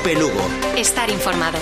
COPE Lugo. Estar informado.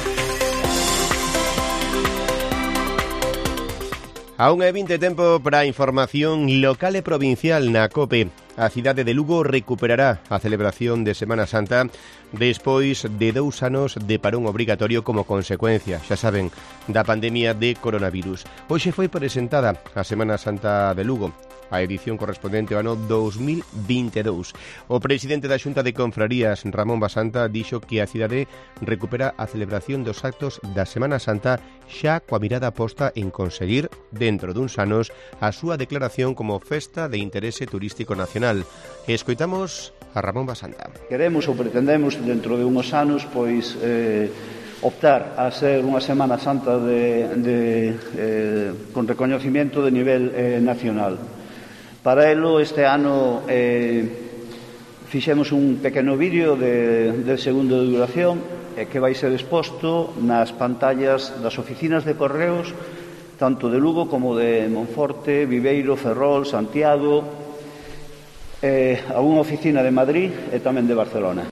Aún é 20 tempo para a información local e provincial na COPE. A cidade de Lugo recuperará a celebración de Semana Santa despois de 2 anos de parón obrigatorio como consecuencia, xa saben, da pandemia de coronavirus. Hoxe foi presentada a Semana Santa de Lugo, a edición correspondente ao ano 2022. O presidente da Xunta de Confrarías, Ramón Basanta, dixo que a cidade recupera a celebración dos actos da Semana Santa xa coa mirada posta en conseguir, dentro duns anos, a súa declaración como festa de interese turístico nacional. Escoitamos a Ramón Basanta. Queremos ou pretendemos dentro de uns anos pois optar a ser unha Semana Santa con recoñecemento de nivel nacional. Para elo este ano fixemos un pequeno vídeo de segundo de duración que vai ser exposto nas pantallas das oficinas de correos tanto de Lugo como de Monforte, Viveiro, Ferrol, Santiago, a unha oficina de Madrid e tamén de Barcelona.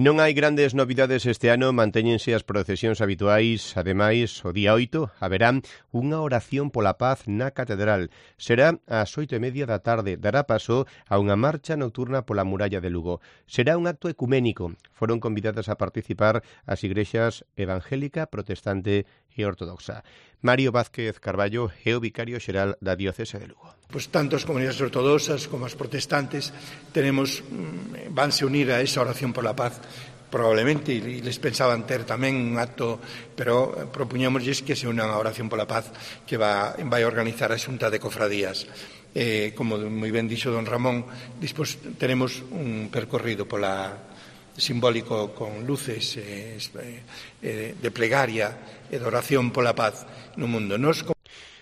Non hai grandes novidades este ano, mantéñense as procesións habituais. Ademais, o día 8 haberá unha oración pola paz na Catedral. Será ás 8:30 da tarde. Dará paso a unha marcha nocturna pola muralla de Lugo. Será un acto ecuménico. Foron convidadas a participar as igrexas evangélica, protestante e ortodoxa. Mario Vázquez Carballo é o vicario xeral da diocese de Lugo. Pues tanto as comunidades ortodoxas como as protestantes vanse unir a esa oración por la paz probablemente, e les pensaban ter tamén un acto, pero propuñámosles que se unan a oración pola paz que vai organizar a Xunta de Cofradías. Como moi ben dixo don Ramón, despois teremos un percorrido simbólico con luces de plegaria e de oración pola paz no mundo.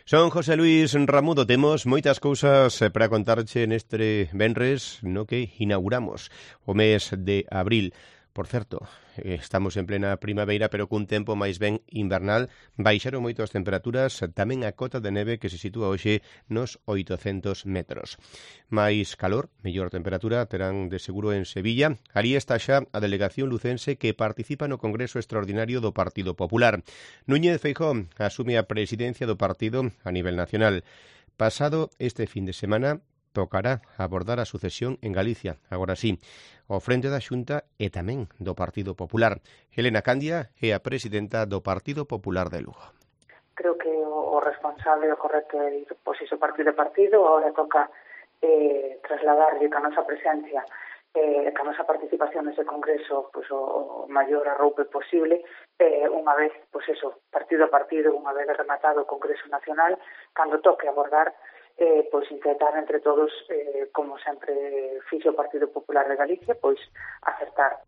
Son José Luis Ramudo, temos moitas cousas para contarche neste venres no que inauguramos o mes de abril. Por certo, estamos en plena primavera, pero cun tempo máis ben invernal. Baixaron moito as temperaturas, tamén a cota de neve que se sitúa hoxe nos 800 metros. Mais calor, mellor temperatura, terán de seguro en Sevilla. Alí está xa a delegación lucense que participa no Congreso Extraordinario do Partido Popular. Núñez Feijóo asume a presidencia do partido a nivel nacional. Pasado este fin de semana, tocará abordar a sucesión en Galicia, agora sí, ao frente da Xunta e tamén do Partido Popular. Helena Candia é a presidenta do Partido Popular de Lugo. Creo que o responsable o correcto é ir iso partido a partido. Agora toca trasladarlle que a nosa presencia que a nosa participación nese congreso o maior arroupe posible, unha vez, partido a partido, unha vez rematado o Congreso Nacional, cando toque abordar intentar entre todos, como sempre fixo o Partido Popular de Galicia, acertar.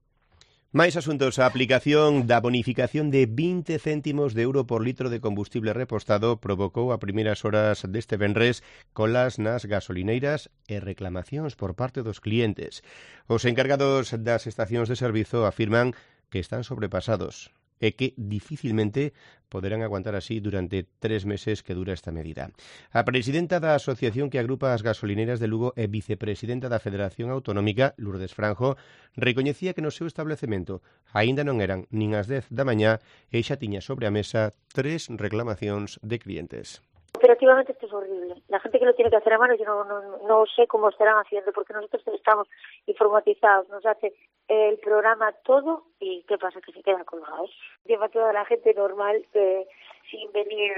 Mais asuntos, a aplicación da bonificación de 20 céntimos de euro por litro de combustible repostado provocou a primeiras horas deste venres colas nas gasolineiras e reclamacións por parte dos clientes. Os encargados das estacións de servizo afirman que están sobrepasados e que dificilmente poderán aguantar así durante 3 meses que dura esta medida. A presidenta da asociación que agrupa as gasolineras de Lugo e vicepresidenta da Federación Autonómica, Lourdes Franjo, recoñecía que no seu establecemento aínda non eran nin as 10 da mañá e xa tiña sobre a mesa 3 reclamacións de clientes. Operativamente esto es horrible. La gente que lo tiene que hacer a mano, yo no sé cómo estarán haciendo, porque nosotros estamos informatizados, nos hace el programa todo y ¿qué pasa? Que se quedan colgados. Lleva toda la gente normal sin venir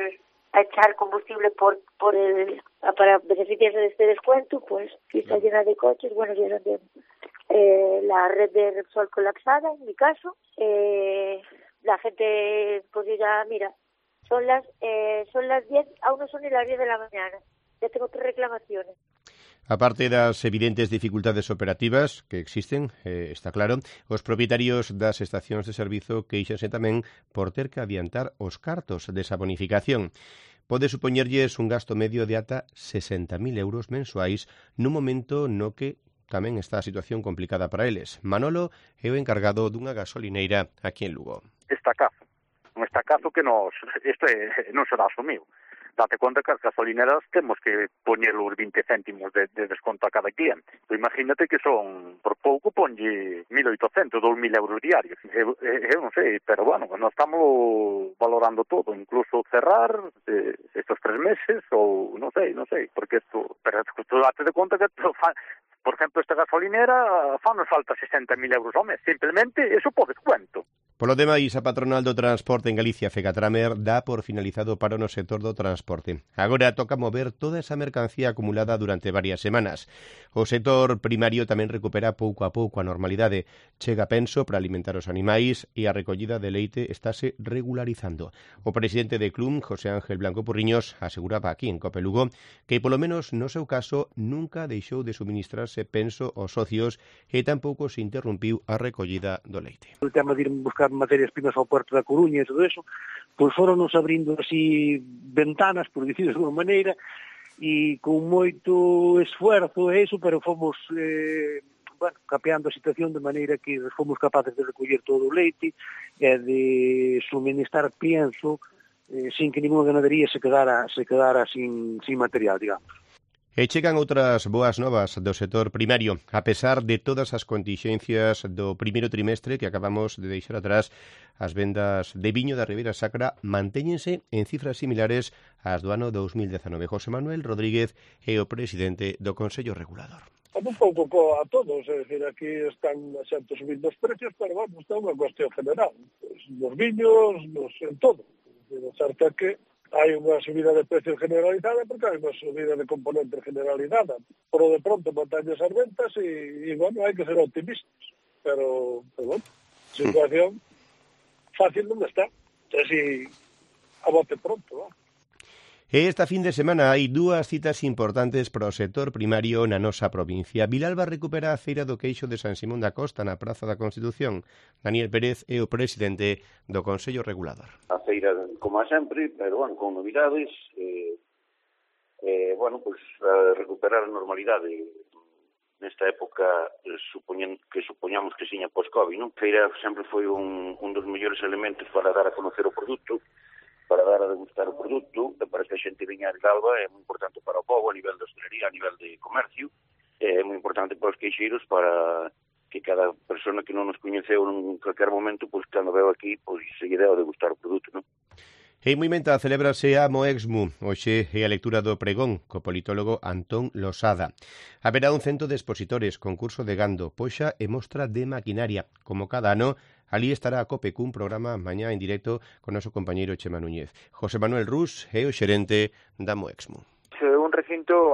a echar combustible para beneficiarse de este descuento, pues si está llena de coches, bueno, ya de la red de Repsol colapsada, en mi caso, la gente pues ya, mira, son las 10, aún no son ni las 10 de la mañana. Ya tengo 3 reclamaciones. Aparte das evidentes dificultades operativas que existen, está claro, os propietarios das estacións de servizo queixanse tamén por ter que adiantar os cartos desa bonificación. Pode supoñerlles un gasto medio de ata 60.000 euros mensuais nun momento no que tamén está a situación complicada para eles. Manolo é o encargado dunha gasolineira aquí en Lugo. Un estacazo que non se dá asumido. date conta que as gasolineras temos que poñer os 20 céntimos de desconto a cada cliente. Pues imagínate que son, por pouco, ponlle 1.800, 2.000 euros diarios. Eu non sei, pero bueno, nós estamos valorando todo, incluso cerrar estos 3 meses ou non sei, porque isto, pero tú date de conta que por exemplo, esta gasolinera fanos falta 60.000 euros ao mes. Simplemente, eso por descuento. Polo demais, a patronal do transporte en Galicia, Fecatramer, dá por finalizado o paro no sector do transporte. Agora toca mover toda esa mercancía acumulada durante varias semanas. O sector primario tamén recupera pouco a pouco a normalidade. Chega penso para alimentar os animais e a recollida de leite estáse regularizando. O presidente de CLUM, José Ángel Blanco Porriños, aseguraba aquí en Cope Lugo que, polo menos no seu caso, nunca deixou de suministrarse penso aos socios e tampouco se interrumpiu a recollida do leite. O tema de ir buscar materias primas ao Puerto da Coruña e todo eso, pois foron-nos abrindo así ventanas, por dicir de alguma maneira, e con moito esfuerzo e eso, pero fomos capeando a situación de maneira que fomos capaces de recoller todo o leite e de suministrar pienso sin que ninguna ganadería se quedara sin material, digamos. E chegan outras boas novas do sector primario. A pesar de todas as continxencias do primeiro trimestre que acabamos de deixar atrás, as vendas de viño da Ribeira Sacra mantéñense en cifras similares ás do ano 2019. José Manuel Rodríguez é o presidente do Consello Regulador. Un pouco a todos, é dicir, aquí están xente subindo os precios, pero vamos, está unha cuestión general. Pues, nos viños, en todo. O certo é que hai unha subida de precios generalizada porque hai unha subida de componente generalizada. Pero de pronto montañas as ventas e bueno, hai que ser optimistas. Pero bueno, situación fácil non está. Así, a bote pronto, ¿no? E esta fin de semana hai dúas citas importantes para o sector primario na nosa provincia. Vilalba recupera a Feira do Queixo de San Simón da Costa na Praza da Constitución. Daniel Pérez é o presidente do Consello Regulador. A feira, como a sempre, pero bueno, con novidades, recuperar a normalidade nesta época que supoñamos que siña pos-Covid, non? A feira sempre foi un dos mellores elementos para dar a conocer o produto, para dar a degustar o produto, para que a xente viña de Galba, é moi importante para o povo, a nivel de hostelería, a nivel de comercio, é moi importante para os queixeiros, para que cada persona que non nos coñeceu en calquer momento, pois cando veo aquí, pois se lle deu a degustar o produto, non? En Moimenta celebrase a Moexmu, hoxe é a lectura do pregón, co politólogo Antón Losada. Haberá un cento de expositores, concurso de gando, poxa e mostra de maquinaria. Como cada ano, alí estará a COPE cun programa mañá en directo con noso compañeiro Chema Núñez. José Manuel Rus é o xerente da Moexmu. É un recinto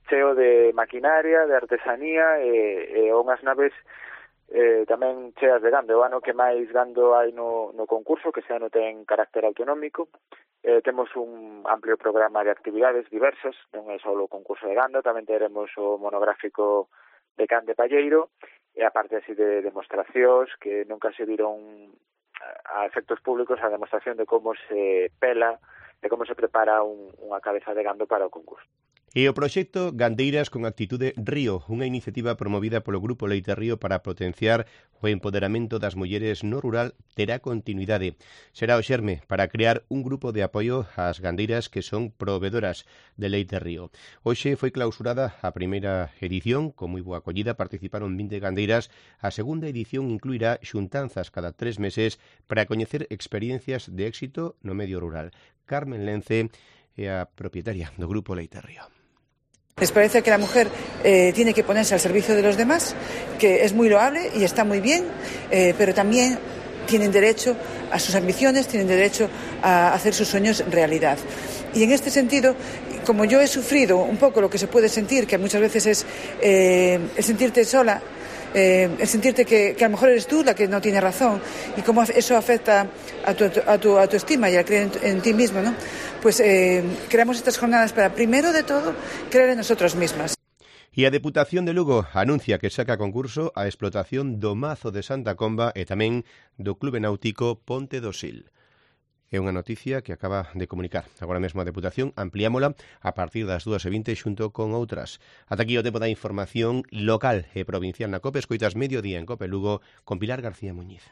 cheo de maquinaria, de artesanía e unhas naves tamén cheas de gando. O ano que máis gando hai no concurso, que ese ano ten carácter autonómico. Temos un amplio programa de actividades diversas, non é só o concurso de gando, tamén teremos o monográfico de can de palleiro, e aparte así de demostracións que nunca se viron a efectos públicos, a demostración de como se pela, de como se prepara unha cabeza de gando para o concurso. E o proxecto Gandeiras con Actitude Río, unha iniciativa promovida polo Grupo Leite Río para potenciar o empoderamento das mulleres no rural, terá continuidade. Será o xerme para crear un grupo de apoio ás gandeiras que son proveedoras de Leite Río. Hoxe foi clausurada a primeira edición, con moi boa acollida, participaron 20 gandeiras. A segunda edición incluirá xuntanzas cada 3 meses para coñecer experiencias de éxito no medio rural. Carmen Lence é a propietaria do Grupo Leite Río. Les parece que la mujer tiene que ponerse al servicio de los demás, que es muy loable y está muy bien, pero también tienen derecho a sus ambiciones, tienen derecho a hacer sus sueños realidad. Y en este sentido, como yo he sufrido un poco lo que se puede sentir, que muchas veces es el sentirte sola, el sentirte que a lo mejor eres tú la que no tiene razón, y cómo eso afecta a tu autoestima y a creer en ti mismo, ¿no? Pues creamos estas jornadas para, primero de todo, creer en nosotros mismas. E a Deputación de Lugo anuncia que saca a concurso a explotación do Mazo de Santa Comba e tamén do Clube Náutico Ponte do Sil. É unha noticia que acaba de comunicar agora mesmo a Deputación. Ampliámola a partir das 2:20 xunto con outras. Ata aquí o tempo da información local e provincial na COPE. Escoitas Mediodía en COPE Lugo con Pilar García Muñiz.